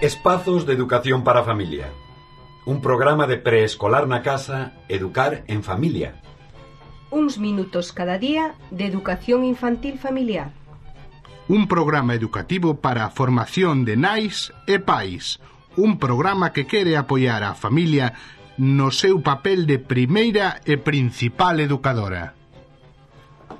Espazos de educación para a familia. Un programa de preescolar na casa, educar en familia. Uns minutos cada día de educación infantil familiar. Un programa educativo para a formación de nais e pais. Un programa que quere apoiar a familia no seu papel de primeira e principal educadora.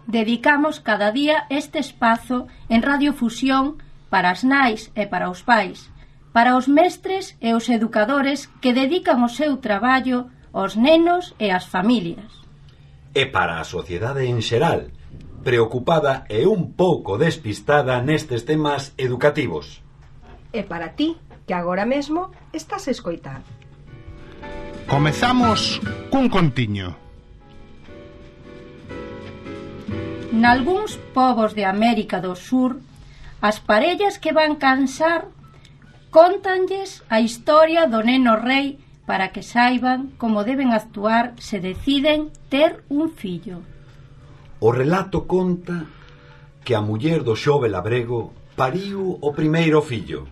Dedicamos cada día este espazo en Radiofusión para as nais e para os pais, para os mestres e os educadores que dedican o seu traballo aos nenos e ás familias. E para a sociedade en xeral, preocupada e un pouco despistada nestes temas educativos. E para ti, que agora mesmo estás a escoitar. Comezamos cun contiño. Nalgúns povos de América do Sur, as parellas que van cansar cóntanlles a historia do neno rei para que saiban como deben actuar se deciden ter un fillo. O relato conta que a muller do xove labrego pariu o primeiro fillo.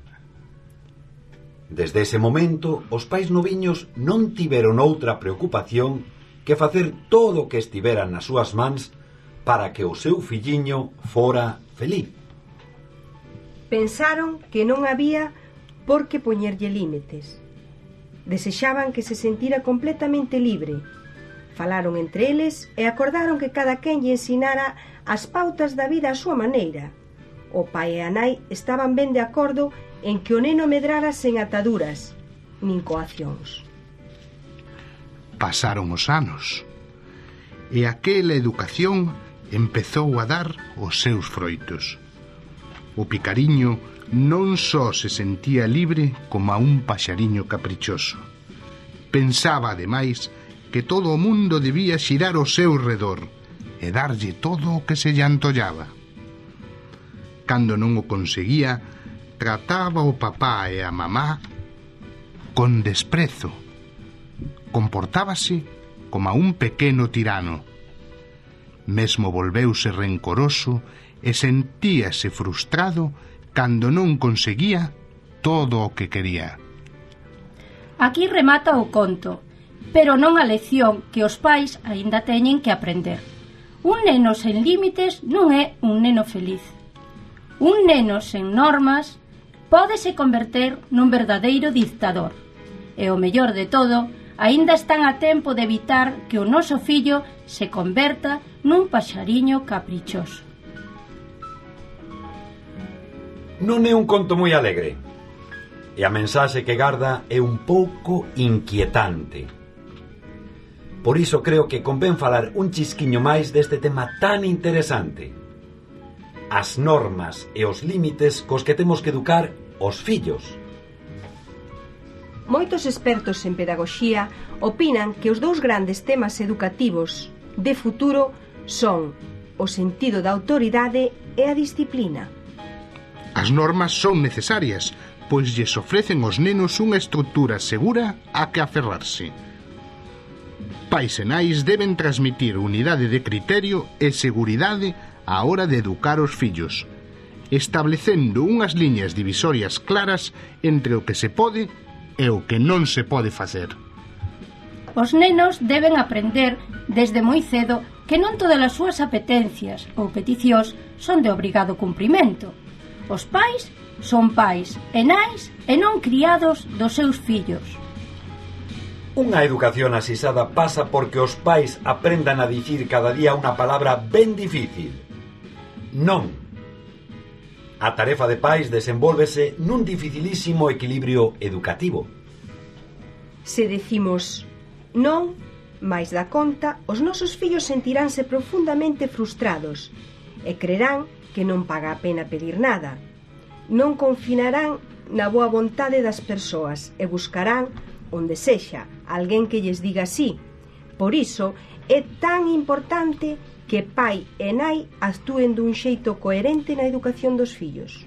Desde ese momento, os pais noviños non tiveron outra preocupación que facer todo o que estivera nas súas mans para que o seu filliño fora feliz. Pensaron que non había por que poñerlle límites. Desexaban que se sentira completamente libre. Falaron entre eles e acordaron que cada quen lle ensinara as pautas da vida á súa maneira. O pai e a nai estaban ben de acordo en que o neno medrara sen ataduras, nin coaccións. Pasaron os anos e aquela educación empezou a dar os seus froitos. O picariño non só se sentía libre como a un paxariño caprichoso. Pensaba, ademais, que todo o mundo debía xirar ao seu redor e darlle todo o que se lle antollaba. Cando non o conseguía, trataba o papá e a mamá con desprezo. Comportábase como a un pequeno tirano. Mesmo volveuse rencoroso e sentíase frustrado cando non conseguía todo o que quería. Aquí remata o conto, pero non a lección que os pais aínda teñen que aprender. Un neno sen límites non é un neno feliz. Un neno sen normas pódese converter nun verdadeiro dictador. E o mellor de todo, aínda están a tempo de evitar que o noso fillo se converta nun paxariño caprichoso. Non é un conto moi alegre, e a mensaxe que garda é un pouco inquietante. Por iso creo que convén falar un chisquiño máis deste tema tan interesante: as normas e os límites cos que temos que educar os fillos. Moitos expertos en pedagogía opinan que os dous grandes temas educativos de futuro son o sentido da autoridade e a disciplina. As normas son necesarias, pois lles ofrecen aos nenos unha estrutura segura a que aferrarse. Pais e nais deben transmitir unidade de criterio e seguridade á hora de educar os fillos, establecendo unhas liñas divisorias claras entre o que se pode e o que non se pode facer. Os nenos deben aprender desde moi cedo que non todas as súas apetencias ou peticións son de obrigado cumprimento. Os pais son pais e nais e non criados dos seus fillos. Unha educación asisada pasa porque os pais aprendan a dicir cada día unha palabra ben difícil: non. A tarefa de pais desenvólvese nun dificilísimo equilibrio educativo. Se decimos non, máis da conta, os nosos fillos sentiránse profundamente frustrados e crerán que non paga a pena pedir nada. Non confinarán na boa vontade das persoas e buscarán, onde sexa, alguén que lles diga sí. Por iso é tan importante que pai e nai actúen dun xeito coherente na educación dos fillos.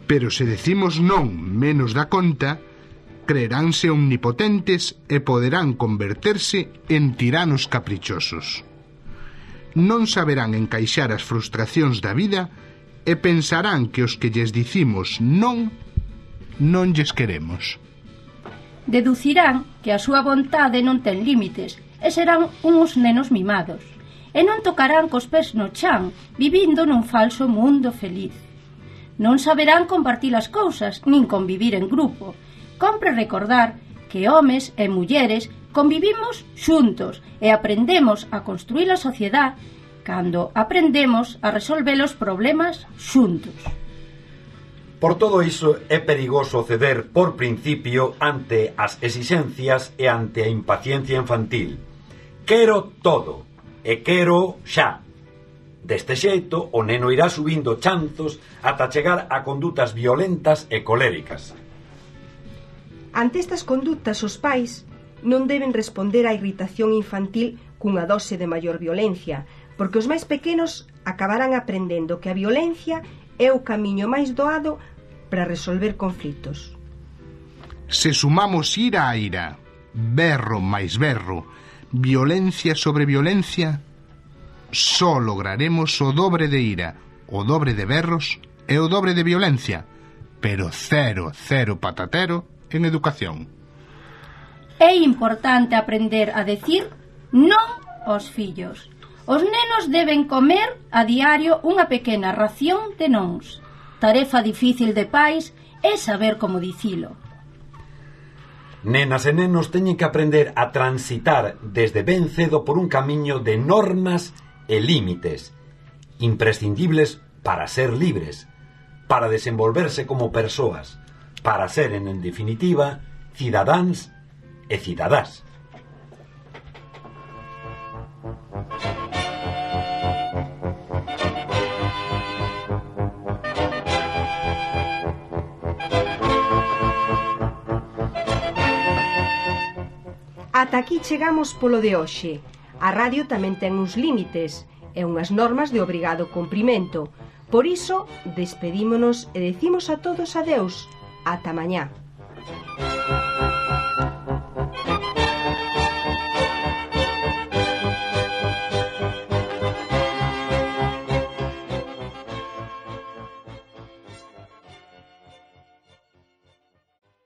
Pero se decimos non menos da conta, creeránse omnipotentes e poderán converterse en tiranos caprichosos. Non saberán encaixar as frustracións da vida e pensarán que os que lles dicimos non non lles queremos. Deducirán que a súa vontade non ten límites e serán uns nenos mimados. E non tocarán cos pés no chan, vivindo nun falso mundo feliz. Non saberán compartir as cousas, nin convivir en grupo. Compre recordar que homes e mulleres convivimos xuntos e aprendemos a construir a sociedade cando aprendemos a resolver os problemas xuntos. Por todo iso é perigoso ceder por principio ante as exixencias e ante a impaciencia infantil. Quero todo e quero xa. Deste xeito, o neno irá subindo chanzos ata chegar a condutas violentas e coléricas. Ante estas condutas, os pais non deben responder á irritación infantil cunha dose de maior violencia, porque os máis pequenos acabarán aprendendo que a violencia é o camiño máis doado para resolver conflitos. Se sumamos ira a ira, berro máis berro, violencia sobre violencia, só lograremos o dobre de ira, o dobre de berros e o dobre de violencia, pero cero patatero en educación. É importante aprender a decir non aos fillos. Os nenos deben comer a diario unha pequena ración de nons. Tarefa difícil de pais é saber como dicilo. Nenas e nenos teñen que aprender a transitar desde ben cedo por un camiño de normas e límites, imprescindibles para ser libres, para desenvolverse como persoas, para seren, en definitiva, cidadáns e cidadás. Ata aquí chegamos polo de hoxe. A radio tamén ten uns límites e unhas normas de obrigado cumprimento. Por iso, despedímonos e decimos a todos adeus. Ata mañá.